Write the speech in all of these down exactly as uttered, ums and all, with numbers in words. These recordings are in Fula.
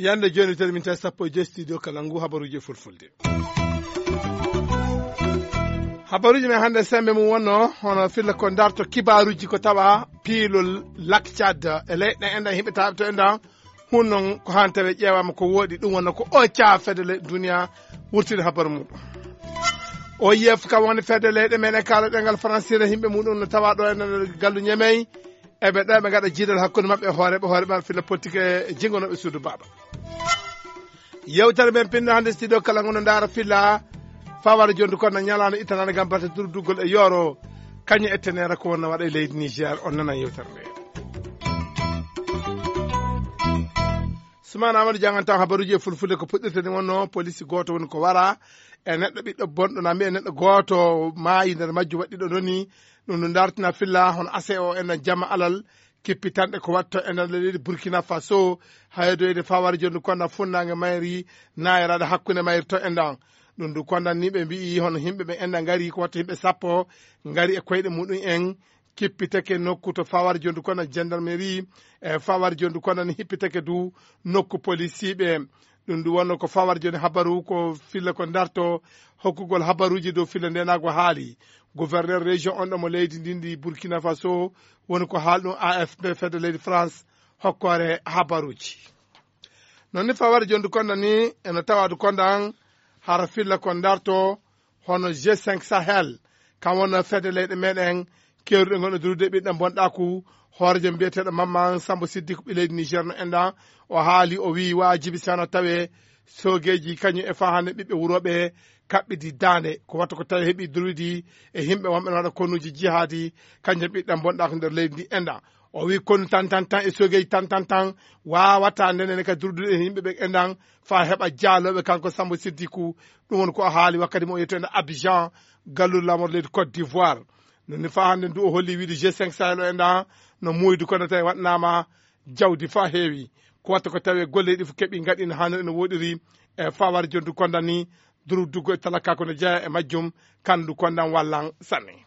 Yande jooni, tawi min tawi sappo e joy studio kala ngu habaruuji e fulfulde. Habaruuji men hannde, semmbe mum wonno hono filla ko darto kibaaruuji ko tawa piilol Lac Tchad e leyɗe enɗan, yimɓe taaɓe to enɗan. Hun noon ko haan tawe ƴeewaama ko wooɗi, ɗum wonno ko o caa fedde leyɗe duniya wurtide habaru muɗum. O yef kam woni fedde leyɗe men e kaala ɗengal Faransire, yimɓe muɗum no tawa ɗo e nder gallu Ñemey. Eɓe ɗo eɓe ngaɗa jiidal hakkunde maɓɓe e hooreeɓe, hooreeɓe maɓɓe filla politique e jingonooɓe suudu baaba. Yewtere men pinno hannde studio kala ngono ndaara filla faware jondu kono ñalaano ittanaande ngam batte durduggol e yooro. Kañum e tenere ko wonno waɗa e leydi Niger, on nana yewtere nde. Sumaana Amadou janngantaa habaruuji e fulfulde ko puɗɗirte ni wonno police gooto woni ko wara e neɗɗo ɓiɗɗo bonɗo na mbiya neɗɗo gooto maayi nder majju waɗɗiɗo noni. Ɗum no dartina filla hono ase o enen jamma alal kippitanɗe ko waɗto e nder leydi Burkina Faso. Haydoyde fawar jondu konda funnaange mayri naayiraade hakkunde mayri to endan. Ɗum du konda ni ɓe mbi'i hono yimɓe ɓe endan ngari ko waɗto yimɓe sappo ngari e koyɗe muɗum en kippitake nokku to fawar jondu konda gendarmerie e fawar jondu konda ni hippitake du nokku polisiiɓe. Ɗum du wonno ko fawar joni habaru ko filla ko darto hokkugol habaruuji dow filla ndenaago haali. Gouverneur région on ɗo mo leydi ndin ndi Burkina Faso woni ko haal ɗum A F P fedde leydi France hokkoore habaruuji. Noon ni fawar jondu konda ni eno tawadu konda an hara filla ko darto hono G cinq Sahel, kam wonno fedde leyɗe meɗen keewruɗe gonɗo durude ɓiɗɗo bonɗaaku. Hoorejo mbiyeteeɗo Mamman Sambo Siddiku ɓi leydi Niger no enɗan, o haali, o wi'i waajibi si hano tawe soogeeji kañum e faa hannde ɓiɓɓe wurooɓe kaɓɓidi daande ko watta ko tawi heɓi durwidi e yimɓe wonɓe no waɗa konuuji jihaadi, kañum ɓiɗɗo bonɗaaku nder leydi ndi enɗan. O wi'i konu tan tan tan e soogeeji tan tan tan waawata ndenen ka durdude e yimɓe ɓe enɗan faa heɓa jaalooɓe. Kanko Sambo Siddiku, ɗum woni ko o haali wakkati mo o yettoyno Abidjan, galluru laamor leydi Côte d'Ivoire. Noni faa hannde ndu o holli wiide G cinq Sahel o enɗan no muuydu kono tawi waɗnaama jawdi faa heewi. Ko watta ko tawi golle ɗi fof keɓi ngaɗi no haaniri no woɗiri e fawar jondu konda ni durdugo e talaka ko no jeeya e majjum. Kandu kondan wallan sanne.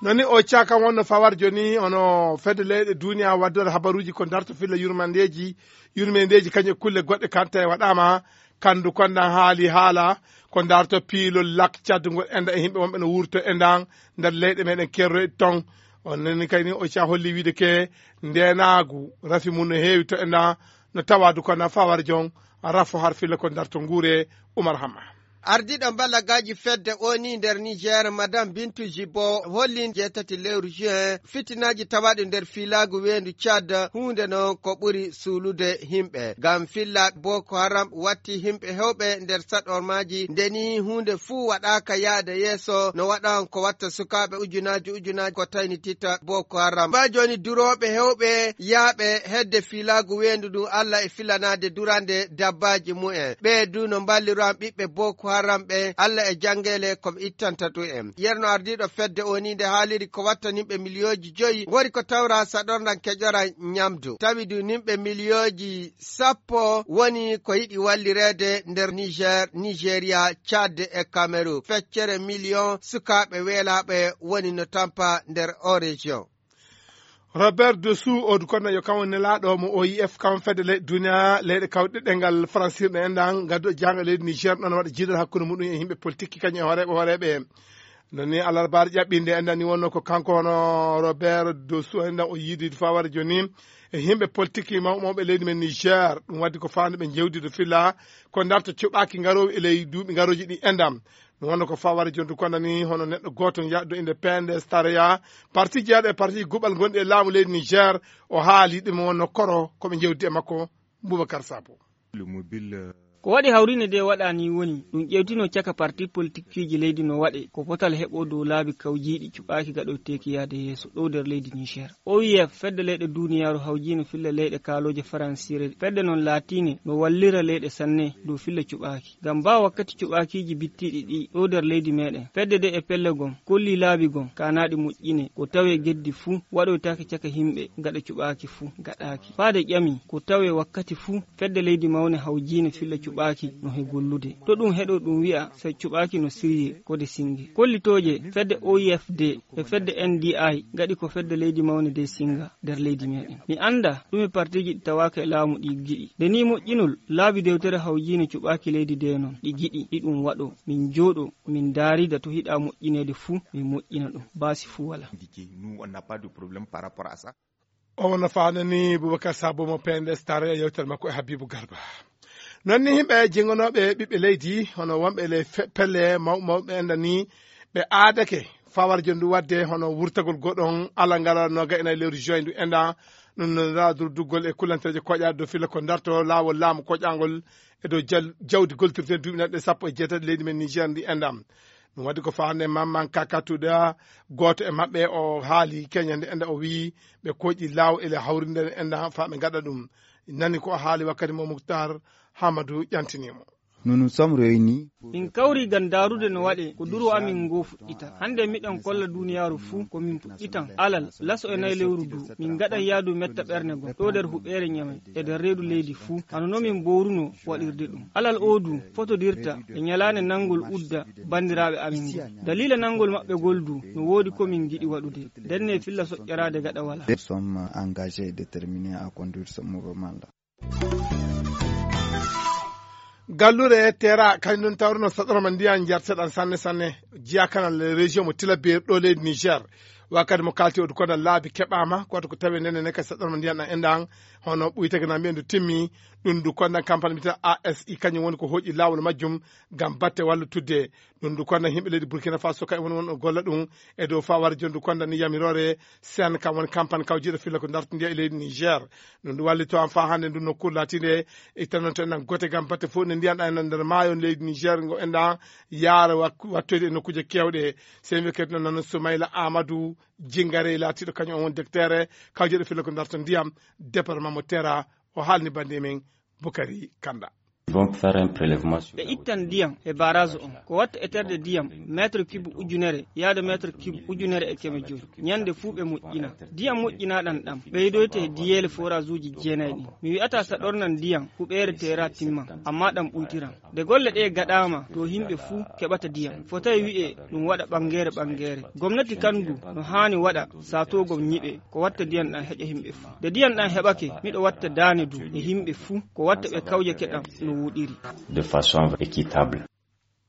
Noni o caka wonno fawar joni ono fedde leyɗe duniya waddore habaruuji ko darto filla yurmandeeji, yurmandeeji kañum e kulle goɗɗe kante waɗaama. Kandu kondan haali haala ko darto piilol lak caddugol enda e yimɓe wonɓe no wurto endan nder leyɗe meɗen kerroyɗe ton. On nani kayni o ca holli wiide ke ndenaagu rafi mum no heewi to endan no tawadu kondan fawar jon rafo har filla ko darto nguure. Umar Hamma. Ardiiɗo mbalagaaji fedde O N U nder Niger, Madame Bintu Jibo, holli jeetati lewru juin fitinaaji tawaaɗi nder fiilaagu weendu Tchad, huunde noon ko ɓuri suulude yimɓe. Ngam filla Boko Haram watti yimɓe heewɓe nder saɗormaaji, nde ni huunde fuu waɗaaka yaade yeeso no waɗan ko watta sukaaɓe ujunaaji ujunaaji ko taynitita Boko Haram. Baa jooni durooɓe heewɓe yaaɓe hedde fiilaagu weendu ndun Alla e filanaade durande dabbaaji mumen. Ɓee du no mballiro an ɓiɓɓe Boko Haram ɓe Alla e janngeele ko ɓe ittanta ɗum en. Yerno ardiiɗo fedde O N U nde haaliri ko watta yimɓe miliyooji joyi ngori ko tawra saɗorndan keƴoran ñamdu. Tawi du yimɓe miliyooji sappo woni ko yiɗi wallireede nder Niger, Nigeria, Tchad e Cameroun. Feccere miliyon sukaaɓe weelaaɓe woni no tampa nder o région. Robert Dessous, o du kono yo kam woni nelaaɗo mo O I F, kam fedde leyɗe duniya, leyɗe kawɗe ɗengal faransirɗe enɗan, ngadduɗo jaango leydi Niger, ɗon waɗa jiidal hakkunde muɗum e yimɓe politique, kañum e hooreeɓe, hooreeɓe. Non ni alarbaare ƴaɓɓinde enɗan ni wonno ko kanko hono Robert Dessous enɗan o yiidi faware joni e yimɓe politique mawɓe mawɓe leydi men Niger. Ɗum waddi ko faande ɓe jewdi do filla ko darto cuɓaaki ngaroowi e ley duuɓi ngarooji ɗi enɗan. Ɗum wonno ko faware jondu konda ni hono neɗɗo gooto yaɗɗo inde P N D S Tareya, parti jeyaɗo e parti guɓal gonɗi e laamu leydi Niger, o haali ɗum wonno koro ko ɓe jewdi e makko. Boubacar Sabo. Ko waɗi hawrinde nde waɗa ni woni ɗum ƴewtino caka parti politikkiiji leydi no waɗe ko potal heɓo dow laabi kawjiiɗi cuɓaaki gaɗoyteeki yaade yeeso ɗo nder leydi Niger. O I F, fedde leyɗe duniyaaru hawjiino filla leyɗe kaalooje faransire, fedde noon laatiine no wallira leyɗe sanne dow filla cuɓaaki. Ngam baa wakkati cuɓaakiiji bittiiɗi ɗi ɗo nder leydi meɗen, fedde de e pelle gom kolli laabi gom kaanaaɗi moƴƴine ko tawe geddi fuu waɗoytaake caka yimɓe gaɗa cuɓaaki fuu gaɗaaki. Faade ƴami ko tawe wakkati fuu fedde leydi mawne hawjiine filla cuɓaaki no he gollude. To ɗum heɗo ɗum wi'a, so cuɓaaki no sirye ko de singe. Kollitooje fedde O I F D e fedde N D I ngaɗi ko fedde leydi mawnde de singa nder leydi meɗen. Mi annda ɗume partiiji ɗi tawaaka e laamu ɗi giɗi. Nde ni moƴƴinol laabi dewtere hawjiine cuɓaaki leydi de noon ɗi giɗi, ɗi ɗum waɗo. Min jooɗo, min ndaarida to hiɗa moƴƴineede fuu, min moƴƴina ɗum. Baasi fuu walaa. Indiqué, nous, on n'a pas de problème par rapport à ça. O wona faanani Boubacar Sabo mo P N D S Tare e yewtere makko e Habibou Garba. Noon ni yimɓe jingonooɓe ɓiɓɓe leydi, hono wonɓe le fe-, pelle maw-, mawɓe enɗan ni, ɓe aadake fawar jondu wadde hono wurtagol goɗon ala ngala no ga ena e lewru juin ndu enɗan. Ɗum no ndaa durduggol e kullanteeje koƴaaɗe dow filla ko darto laawol laamu koƴaangol e dow jal-, jawdi goltirte duuɓi naɗɗe sappo e jeetati leydi men Niger ndi enɗan. Ɗum waɗi ko faande Mamman Kakatuda, gooto e maɓɓe, o haali keñande enɗan, o wiyi ɓe koƴi laaw ele hawrinde enɗan faa ɓe ngaɗa ɗum. Nani ko o haali wakkati mo Muktar Hamadu ƴantini mo. Nous nous sommes réunis. Min kawri ngam ndaarude no waɗe ko duro amin ngoo fuɗɗita. Hannde miɗen kolla duuniyaaru fuu ko min puɗɗitan alal laso e nayi lewru du. Min ngaɗan yaadu metta ɓernde gom ɗo nder huɓeere Ñamey e nder reedu leydi fuu. Hano no min mboorunoo waɗirde ɗum. Alal oo du fotodirta e ñalaande nanngol udda banndiraaɓe amin ngol. Daliila nanngol maɓɓe ngol du no woodi ko min ngiɗi waɗude. Ndenne filla soƴƴaraade gaɗa walaa. Nous sommes engagés et déterminés à conduire ce mouvement-là. Gallure Tera, kañum ɗum tawruno saɗorma ndiyan jarteɗan sanne sanne, jiya kanal région mo Tilaberi ɗo leydi Niger. Wakkati mo kalti o dukoɗan laabi keɓama, koto ko tawi nene ne ka saɗorma ndiyan ɗan enɗan, hono ɓuytake na mbiyen du timmi, ɗum du kondan campagne mbiyata A S I, kañum woni ko hoƴi laawol majjum ngam batte wallitudde. Ɗum du kondan yimɓe leydi Burkina Faso kaɓe woni won golla ɗum e dow fawar jondu kondan ni yamiroore sen kam woni campagne kawjiɗo filla ko dartindiya e leydi Niger. Ɗum du wallito am faa hannde ndu nokkuure laatiinde e tanonto en gote ngam batte fof ne ndiyan ɗan e nder maayo leydi Niger ngo enɗan yaara wak-, wattoyde e nokkuuje keewɗe. Sen wi'ete noon Soumaïla Amadou Jingare laatiiɗo kañum on woni directeur kawjeɗo filla ko darto ndiyam département mo Tera. O haalni bannde men Bukari Kanda. Ils vont faire un prélèvement sur ɓe la ittan ndiyam e barrage on. Ko watta eterde ndiyam mètre cube ujunere yaada mètre cube ujunere e keme joyi. Ñande fuu ɓe moƴƴina. Ndiyam moƴƴinaaɗan ɗam ɓeydoyte e diyeele forage uji jeenayi ɗin. Mi wi'ata sa ɗornan ndiyam huɓeere Tera timma, amma ɗam ɓuytiran. Nde golle ɗee gaɗaama to yimɓe fuu keɓata ndiyam. Fotay wi'e ɗum waɗa ɓangeere ɓangeere. Gomnati kan du no haani waɗa saatoo gom ñiɓe ko watta ndiyam ɗam heƴa yimɓe fuu. Nde ndiyam ɗam heɓake, miɗo watta daane du e yimɓe fuu ko watta ɓe kawjake ɗam no woɗiri. De façon équitable.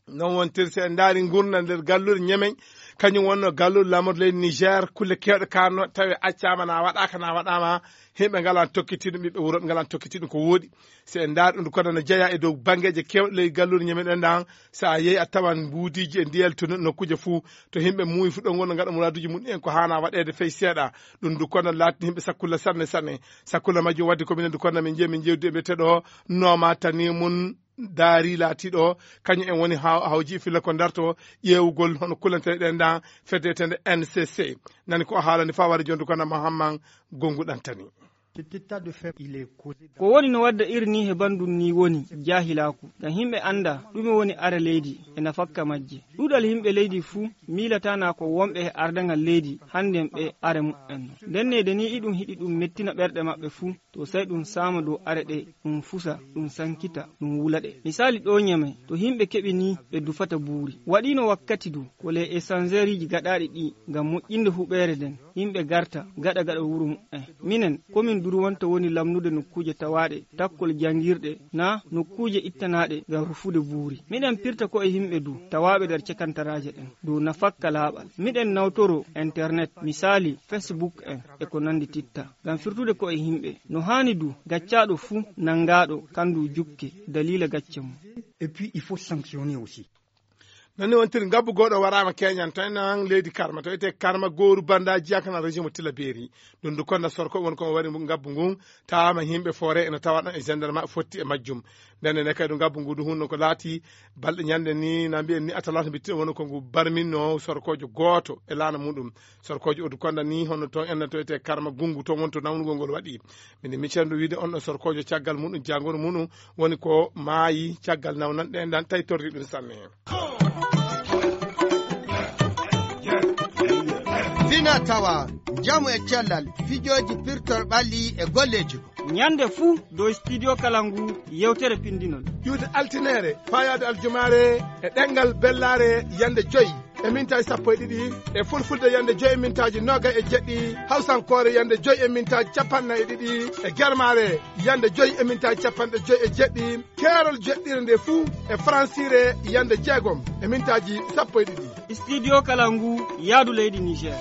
Noon wontiri, so en ndaari nguurndam nder galluure Ñemeñ, kañum wonno galluure laamordu leydi Niger, kulle keewɗe kaanno tawi accaama na waɗaaka na waɗaama, yimɓe ngalan tokkitiiɗum, ɓiɓɓe wuro ɓe ngalan tokkitiiɗum ko wooɗi. So en ndaari ɗum ko no jeyaa e dow banngeeji keewɗi ley galluure Ñemeñ ɗen ɗan, so a yehi a tawan mbuudiiji e ndiyel to nokkuuje fuu, to yimɓe muuyi fuu ɗon wonno ngaɗa muraaduuji mum en ko haana waɗeede fey seeɗa. Ɗum du kono laatni yimɓe sakkulla sanne sanne. Sakkulla majjum wadde ko minen du kono min njeyi min jewdi e mbiyeteeɗo Nooma Tani mun Daari laatiiɗo, kañum en woni haw-, hawji filla ko darto ƴeewugol hono kullanteeɗe ɗen ɗan fedde etende N C C. Nani ko o haalani faware jondu kono Mahamman Gongu Ɗantani. Cet état de fait, il est causé. Ko woni no wadda iri ni he banndum ni woni jaahilaaku. Ngam yimɓe annda ɗume woni are leydi e nafakka majje. Ɗuuɗal yimɓe leydi fuu miilataa na ko wonɓe he ardangal leydi hannden ɓe are muɓɓen. Ndennede ni iɗum hiɗi ɗum mettina ɓerɗe maɓɓe fuu. To sey ɗum saama dow are ɗe, ɗum fusa, ɗum sankita, ɗum wula ɗe. Misaali ɗo Ñamey, to yimɓe keɓi ni ɓe dufata buuri. Waɗiino wakkati du, ko les échangeuriji gaɗaaɗi ɗi ngam moƴƴinde huɓeere nden, yimɓe garta, gaɗa gaɗa wuro muɓɓen. Minen, komin durwanta woni lamnude nokkuuje tawaaɗe, takkol janngirɗe, na nokkuuje ittanaaɗe ngam rufude buuri. Miɗen pirta ko e yimɓe du, tawaaɓe nder cakantaraaje ɗen, dow nafakka laaɓal. Miɗen nawtoro internet, misaali Facebook en, e ko nanndi titta. Ngam firtude ko'e yimɓe. No haani du, gaccaaɗo fuu nanngaaɗo, kandu jukke, daliila gacce mum. Et puis, il faut sanctionner aussi. Noon ni wontiri ngabbu gooto waraama keñan, to en nan leydi Karma, to etee Karma gooru bannda jiyaka nan région mo Tillabéri. Ɗum du konda sorko woni ko wari ngabbu ngun, tawaama yimɓe foore ene tawa ɗon e gendarme fotti e majjum. Nden ene kadi ngabbu ngu du hunno ko laati balɗe ñande ni, na mbiyen ni atalata mbitti woni ko ngu barminno sorkoojo gooto e laana muɗum. Sorkoojo Odu Konda ni, hono toon enna to etee Karma Gungu, toon woni to nawnugol ngol waɗi. Min micen ɗo wiide on ɗo sorkoojo caggal muɗum, jangoro muɗum woni ko maayi caggal nawnan ɗe, ndan tawi torri ɗum sanne. Fina tawa, njamu e cellal, fijooji pirtor ɓalli e golleeji. Ñande fuu dow Studio Kalangu yewtere pinndinol. Ƴuwde altineere, faayaade aljumaare e ɗemngal bellaare yande joy e mintaaji sappo e ɗiɗi, e fulfulde yande joy e mintaaji noogay e jeɗɗi, hawsankoore yande joy e mintaaji capanɗe nayi e ɗiɗi, e germaare yande joy e mintaaji capanɗe joy e jeɗɗi, keerol jeɗɗire nde fuu e faransiire yande jeegom e mintaaji sappo e ɗiɗi. Studio Kalangu, yaadu leydi Niger.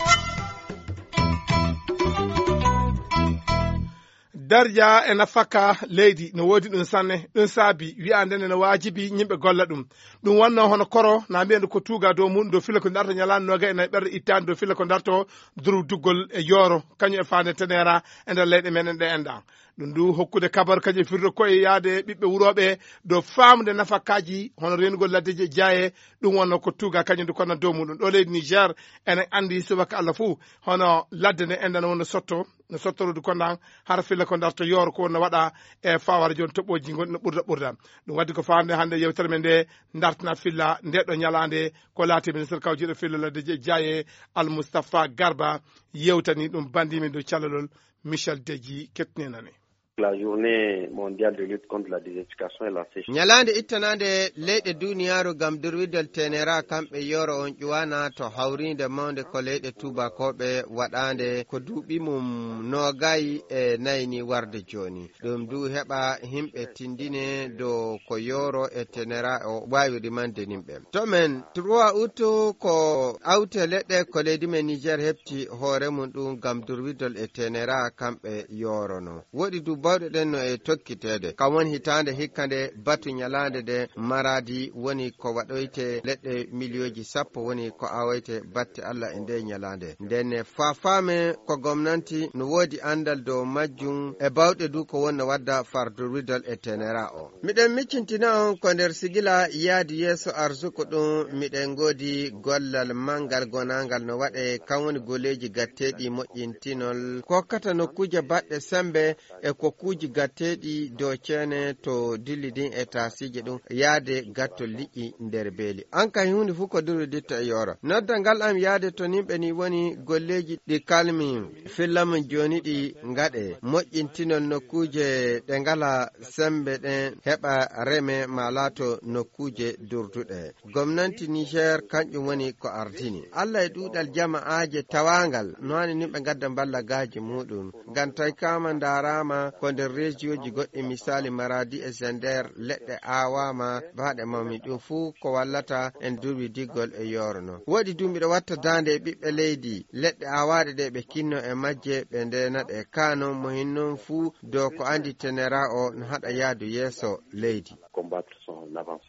Darja e nafaka leydi no woodi ɗum sanne. Ɗum saabi wiyaande nde no waajibi yimɓe golla ɗum. Ɗum wonno hono koro, na mbiyen ko tuuga dow muɗum, dow filla ko darta ñalaande noogay e nayi ɓerɗe ittaande, dow filla ko darto durduggol e yooro, kañum e faande tenera e nder leyɗe meɗen ɗe enɗa. Ɗum du hokkude kabar kañum firto koye yaade ɓiɓɓe wurooɓe dow faamde nafakaaji hono reenugol laddeji e jaaye. Ɗum wonno ko tuuga kañum du kono dow muɗum. Ɗo leydi Niger, enen anndi subaka Allah fuu, hono ladde nde enɗa no wonno sotto, no sottorude kondaŋ, hara filla ko darto yooro ko wonno waɗa e fawara jooni toɓɓooji ngonɗi no ɓurda ɓurda. Ɗum waddi ko faande hannde yewtere men nde dartana filla nde ɗo ñalaande ko laati ministre kawjiiɗo filla laddeji e jaaye Al Mustafa Garba yewtani ɗum bandimen dow callalol Michel Deji kettinenane. La journée mondiale de lutte contre la désertification et la sécheresse. Ñalaande ittanaande leyɗe duniyaaru ngam durwidal tenera kamɓe yoro on ƴuwana to hawriinde mawnde ko leyɗe tuubakooɓe waɗaande ko duuɓi mum noogay e nayi ni warde jooni. Ɗum du heɓa himɓe tindine dow ko yoro e tenera o waawi rimande nimɓe. To men trois août ko awte leɗɗe ko leydi men Niger heɓti hoore mum ɗum ngam durwidol e tenera kamɓe yorono. Woɗi du bawɗe ɗen no e tokkiteede. Kam woni hitaande hikka nde batu ñalaande nde maradi woni ko waɗoyte leɗɗe miliyooji sappo woni ko awoyte batte Allah e nde ñalaande. Nden ne faafaame ko gomnanti no woodi anndal dow majjum e bawɗe du ko wonno wadda far durwidol e tenera o. Miɗen miccintina on ko nder sigila yaadu yeeso arsuko ɗum miɗen ngoodi gollal manngal gonaangal no waɗe kan woni goleeji gatteeɗi moƴƴintinol kokkata nokkuuje baɗɗe sembe e kokkuuji gatteeɗi dow ceene to dilli ɗin e taasiije ɗum yaade gattol liƴƴi nder beeli. An kay huunde fof ko duroditta e yooro. Noddal ngal am yaade to nimɓe ni woni golleeji ɗi kalmi filla mum jooni ɗi ngaɗe moƴƴintinol nokkuuje ɗe ngala sembe ɗen heɓa reme ma laato nokkuuje durduɗe. Gomnanti Niger kanƴum woni ko ardini. Allah e ɗuuɗal jama'aaje tawaangal no hani nimɓe ngadda mballagaaji muɗum. Ngam tawi kama ndaaraama ko nder rejiyoji goɗɗi misaali Maradi e Zender leɗɗe aawaama baaɗe mawmi ɗum fuu ko wallata en durwi diggol e yooro non. Woɗi du miɗo watta daande e ɓiɓɓe leydi leɗɗe aawaaɗe ɗe ɓe kinno e majje ɓe ndeena ɗe. Ka non mo hin non fuu dow ko andi tenera o no haɗa yaadu yeeso leydi. Combattre son avance.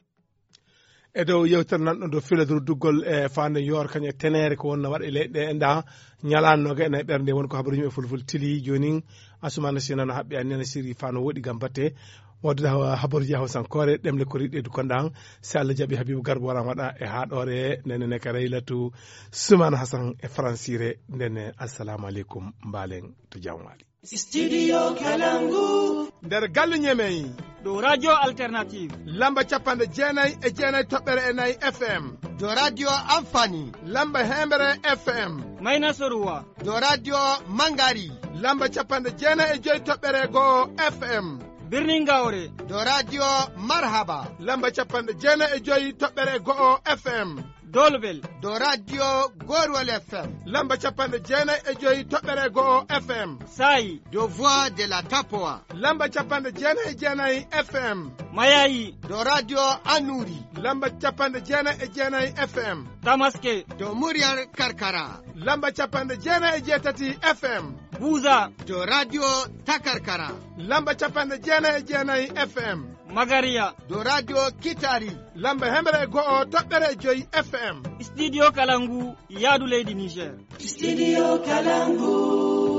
E dow yewtere nan ɗon dow filaduru duggol e faande yoor kañum e teneere ko wonno waɗa e leyɗe ɗe enɗa ñalaande noga e nayi ɓernde woni ko habaruji e fulful tili jooni. Asumana Sina no haɓɓi anniya no siri fano woɗi gam batte waddude habaruji e hawsankoore ɗemle ko riɗɗe du konɗan. Si Allah jaɓi Habibu Garba waran waɗa e haɗore ndene ne ka Raylatu Sumana Hasan e faransire ndene. Assalamu aleykum, mbalen to jam wali. Studio Kalangu. Nder galle Ñemey. Ɗo Radio Alternative. Lamba capanɗe jeenayi e jeenayi toɓɓere e nayi F M. Ɗo Radio Amfani. Lamba hemɓere F M. Mayna Soruwa. Ɗo Radio Mangari. Lamba capanɗe jeenayi e joyi toɓɓere go'o F M. Birnin Gaure. Ɗo Radio Marhaba. Lamba capanɗe jeenayi e joyi toɓɓere go'o F M. Dolbel. Ɗo Radio Gorwal F M. Lamba capanɗe jeenayi e joyi toɓɓere go'o F M. Sayi. Ɗo Voix de la Tapoa. Lamba capanɗe jeenayi e jeenayi F M. Mayayi. Ɗo Radio Anuri. Lamba capanɗe jeenayi e jeenayi F M. Tamaske. Ɗo Muryar Karkara. Lamba capanɗe jeenayi e jeetati F M. Buza. Ɗo Radio Takarkara. Lamba capanɗe jeenayi e jeenayi F M. Magariya. Ɗo Radio Kitari. Lamba hemɓere e go'o toɓɓere e joyi F M. Studio Kalangu, yaadu leydi Niger. Studio Kalangu.